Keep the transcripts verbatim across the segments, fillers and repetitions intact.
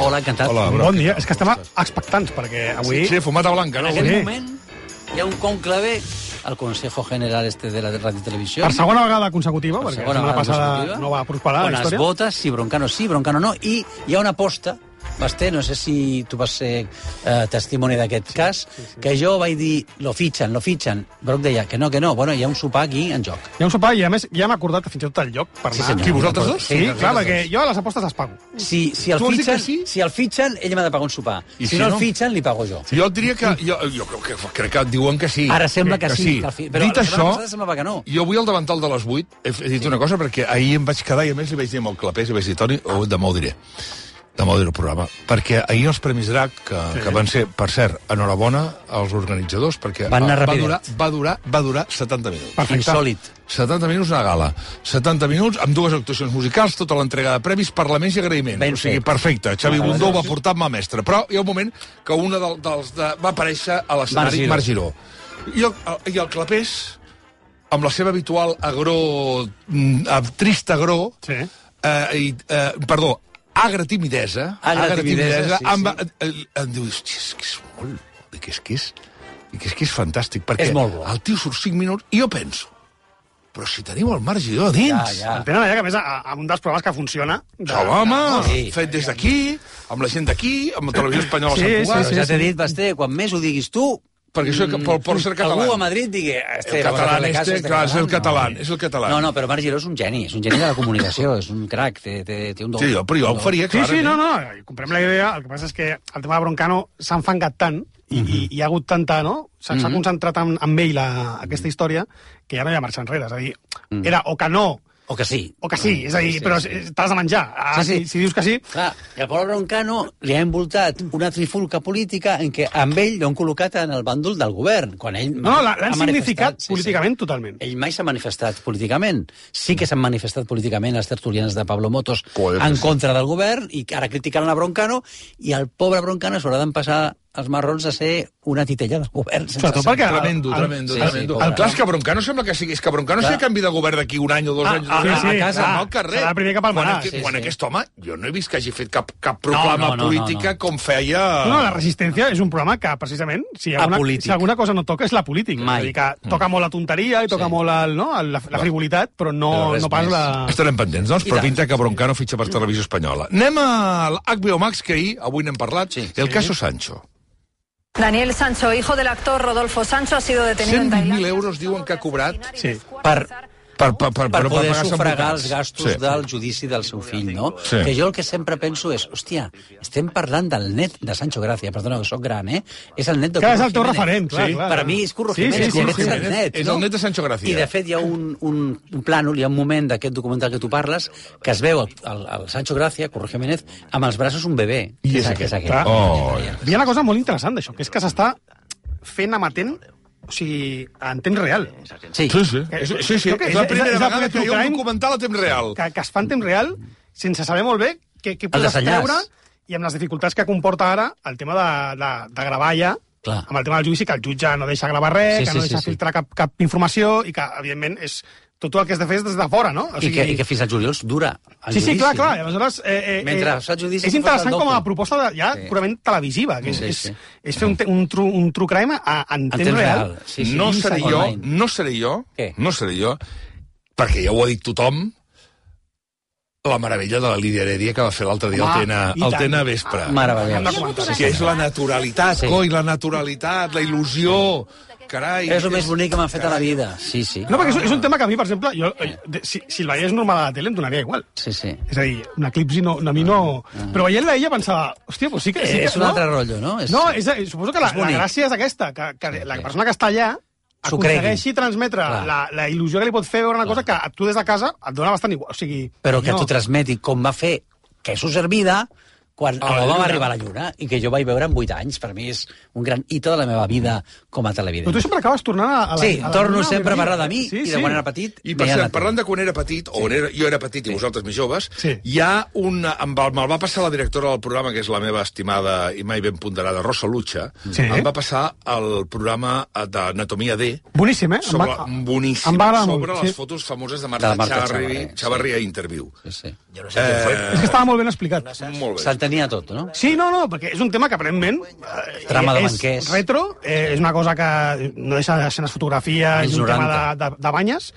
Hola, encantat. Hola, Bon dia. És que estem expectants, perquè avui... Sí, fumata blanca, En no? aquest Sí. moment hi ha un conclave al Consejo General este de la Radio Televisió. Per segona vegada consecutiva, Per perquè la segona setmana vegada passada consecutiva, no va prosperar on la es història. vota si Broncano sí, Broncano no, i hi ha una aposta, Basté, no sé si tu vas ser eh, testimoni d'aquest sí, cas, sí, sí. que jo vaig dir, lo fitxen, lo fitxen. Broc deia que no, que no. Bueno, hi ha un sopar aquí en joc. Hi ha un sopar i, a més, ja hem acordat fins i tot el lloc per Sí, anar. senyor. Qui, vosaltres dos? Sí, Sí, clar, nosaltres perquè dos. jo a les apostes les pago. Si, si, el Tu vols dir fitxen, que sí? si el fitxen, ell m'ha de pagar un sopar. I Si, si no no? el fitxen, li pago jo. Jo et diria que... Jo, jo crec, que, crec que et diuen que sí. Ara sembla que, sí. Que el fi... Però Dit la això, setmana passada semblava que no. jo avui al davantal de les vuit he, he dit sí. una cosa, perquè ahir em vaig quedar i a més li vaig dir amb el Clapés i vaig dir, Toni, oh, demà ho diré. Demà ho diré el programa. Perquè ahir els Premis Drac, que, sí. que van ser, per cert, enhorabona als organitzadors, perquè Van anar va, rapidet. durar, va, durar, va durar setanta minuts. Perfecte. Insòlit. setanta minuts una gala. setanta minuts amb dues actuacions musicals, tota l'entrega de premis, parlaments i agraïments. Ben o sigui, fet. perfecte. Xavi Ah, Bundó sí. va portar mà mestra. Però hi ha un moment que una del, dels de, va aparèixer a l'escenari Marc Marc Giró. I el, I el Clapés, amb la seva habitual agró, mm, trist agró, Sí. eh, i, eh, perdó, agra timidesa, Agra timidesa, sí, em, va, sí. em, em diu, hòstia, és que és molt... I que és que és, i que és, que és fantàstic, perquè És molt bo. el tio surt cinc minuts i jo penso, però si teniu el Marc Giró a dins... Ja, ja. El tenen allà, que a més, a, a un dels programes que funciona... De, Ja, home, Sí. fet des d'aquí, amb la gent d'aquí, amb la televisió espanyola a Sí, Sant sí, Cugat, Però ja t'he dit, Basté, quan més ho diguis tu, perquè això per, per ser català. algú a Madrid digui... Este, El català, vamos a hacerle caso a este, clar, és el català, No. és el català. No, no, però Marc Giró és un geni, és un geni de la comunicació, és un crac, té, té, té un do. Sí, jo, però jo ho faria, Sí, clar. sí, no, no, comprem la idea. El que passa és que el tema de Broncano s'ha enfangat tant i, i, i hi ha hagut tanta, no? S'ha Mhm. concentrat en, en ell la, aquesta història que ja no hi ha marxa enrere. És a dir, era o que no, O que sí. o que sí. És a dir, Sí, però sí. t'has de menjar. Ah, Sí, sí. Si, si dius que sí... Clar, i al pobre Broncano li ha envoltat una trifulca política en què amb ell l'han col·locat en el bàndol del govern, quan ell No, no, l'ha- l'han ha manifestat- significat sí, sí. políticament totalment. Ell mai s'ha manifestat políticament. Sí que s'han manifestat políticament les tertulianes de Pablo Motos Poder, en sí. contra del govern i ara criticaran a Broncano i el pobre Broncano s'haurà d'empassar els marrons a ser una titella del govern. sense Sobretot ser- perquè... Tremendo, el- tremendo, sí, tremendo. sí, pobre. el clar és que Broncano sembla que sigui... És que Broncano Clar. sé canvi de govern d'aquí un any o dos Ah, anys. ah, dos sí, anys, sí, a casa, clar. no al carrer. Serà el primer que palmarà. Quan, aquest, Sí, quan sí. aquest home, jo no he vist que hagi fet cap, cap proclama No, no, no, política no, no. com feia... No, no, la Resistència és un programa que, precisament, si alguna, Apolític. si alguna cosa no toca és la política. Mai. És a dir, que toca molt la tonteria i toca Sí. molt el, no, el, la, la frivolitat, però no, Però res no pas més. la... Estarem pendents, doncs, I però tant. pinta que Broncano fitxa per Televisió Espanyola. Anem a l'H B O Max, que ahir, avui n'hem parlat, Sí. el caso Sancho. Daniel Sancho, hijo del actor Rodolfo Sancho, ha sido detenido en cent vint mil Tailandia. euros diuen que ha cobrat Sí. Per, per, per, per, per poder pagar-se sufragar advocats. els gastos Sí. del judici del seu fill, no? Sí. Que jo el que sempre penso és, hòstia, estem parlant del net de Sancho Gràcia, perdona, que soc gran, eh? És el net de Que és Curro el teu Jiménez. referent, clar, Sí. clar. Per a mi és Curro Sí, Jiménez, sí, sí, i aquest sí, és sí. el net, És no? el net de Sancho Gràcia. I, de fet, hi ha un, un, un plànol, hi ha un moment d'aquest documental que tu parles, que es veu el, el, el Sancho Gràcia, Curro Jiménez, amb els braços un bebè. I Que és que aquest. aquest. Clar. Oh, Hi ha una cosa molt interessant d'això, que és que s'està fent amatent, o sigui, en temps real. Sí. Sí, sí. És, sí, sí. Crec que És és- la és- primera és la vegada que hi ha un crime documental a temps real. Que, que es fa en temps real sense saber molt bé què, què podràs desenllaç. treure i amb les dificultats que comporta ara el tema de, de, de gravar ja, Clar. amb el tema del judici, que el jutge no deixa gravar res, Sí, que sí, no sí, deixa sí. filtrar cap, cap informació i que, evidentment, és tot el que has de fer és des de fora, no? O I, que, I que fins al juliol dura el Sí, sí, judici, clar, clar. I no? aleshores, eh, eh, Mentre eh, fa el judici és tu fas interessant el com a doble. proposta de, ja Sí. purament televisiva, que és, Sí, és, sí. és fer un, te- un, true, un true crime a, en, En temps, temps real. real. Sí, sí. no I seré jo, online. no seré jo, Què? no seré jo, perquè ja ho ha dit tothom, la meravella de la Lídia Heredia que va fer l'altre dia Home, al Tena, i al tant. Tena Vespre. Meravellós. Hem de comentar. Que és la naturalitat, Sí. coi, la naturalitat, la il·lusió, carai. És el més bonic que m'han fet a la vida. Sí, sí. No, perquè és, és un tema que a mi, per exemple, jo, eh, de- si, si el veiés normal a la tele em donaria igual. Sí, sí. És a dir, un eclipsi no, a mi no... Però veient-la ella pensava, hòstia, doncs sí que... Sí que És un no? altre rotllo, no? És, No, és, suposo que la, és la bonic. gràcia és aquesta, que, que la sí. persona que està allà S'ho cregui. aconsegueixi transmetre Clar. la, la il·lusió que li pot fer veure una cosa que a tu des de casa et dona bastant igual. O sigui, Però que no. t'ho transmeti com va fer que s'ho servida quan A la l'home va Lluna. arribar a la Lluna i que jo vaig veure en vuit anys. Per mi és un gran hito de la meva vida com a Però televident. tu sempre acabes tornant a, a la... Sí, a la torno Lluna, sempre a Virgili. parlar de mi sí, i de sí. quan era petit. I per veia cert, la parlant tele. de quan era petit, o era, jo era petit i vosaltres més joves, Sí. hi ha un... Em va, me'l va passar la directora del programa, que és la meva estimada i mai ben ponderada Rosa Lutxa, Sí. em va passar el programa d'Anatomia D, Boníssim, eh? sobre, Em va- boníssim, em va agradar sobre molt, les sí. fotos famoses de De Marta, la Marta Chavarri, Chavarri, Chavarri a Interview. Sí, sí. Eh, És que estava molt ben explicat. molt bé. Se'l tenia tot, no? Sí, no, no, perquè és un tema que aparentment eh, Trama de és banquers. retro, eh, és una cosa que no deixa de ser unes fotografies, Anys és un tema noranta. de, de, de banyes,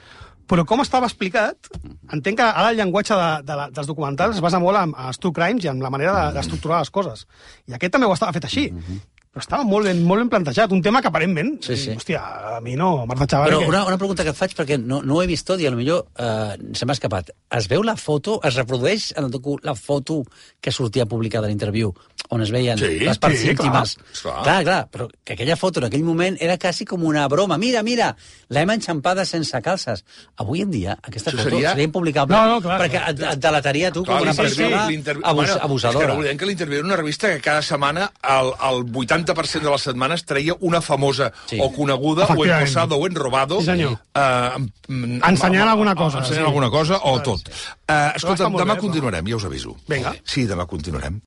però com estava explicat, entenc que ara el llenguatge de, de, la- dels documentals es basa molt en, en els true crimes i en la manera de- d'estructurar les coses. I aquest també ho estava fet així. Però estava molt ben, molt ben plantejat. Un tema que aparentment, Sí, sí. hòstia, a mi no, Marta Chavarri... Però que- una, una pregunta que et faig, perquè no, no ho he vist tot i potser eh, se m'ha escapat. Es veu la foto, es reprodueix en el docu la foto que sortia publicada a l'interviu, on es veien Sí, les parts sí, íntimes. clar. clar, clar, però que aquella foto en aquell moment era quasi com una broma. Mira, mira, l'hem enxampada sense calces. Avui en dia, aquesta Això foto seria- seria impublicable, No, no, clar, perquè clar. et, et delataria tu com una l'interviu- persona l'interviu- abus, bueno, abusadora. És que recordem que l'interviu era una revista que cada setmana el, el vuitanta per cent de les setmanes treia una famosa Sí. o coneguda, o Efectivament. emposada, o enrobado. Sí, senyor. Eh, em- Ensenyant em- alguna cosa, Ensenyant sí. alguna cosa, o Sí, tot. sí. Eh, Però escolta, està molt demà bé, continuarem, ja us aviso. Vinga. Sí, demà continuarem.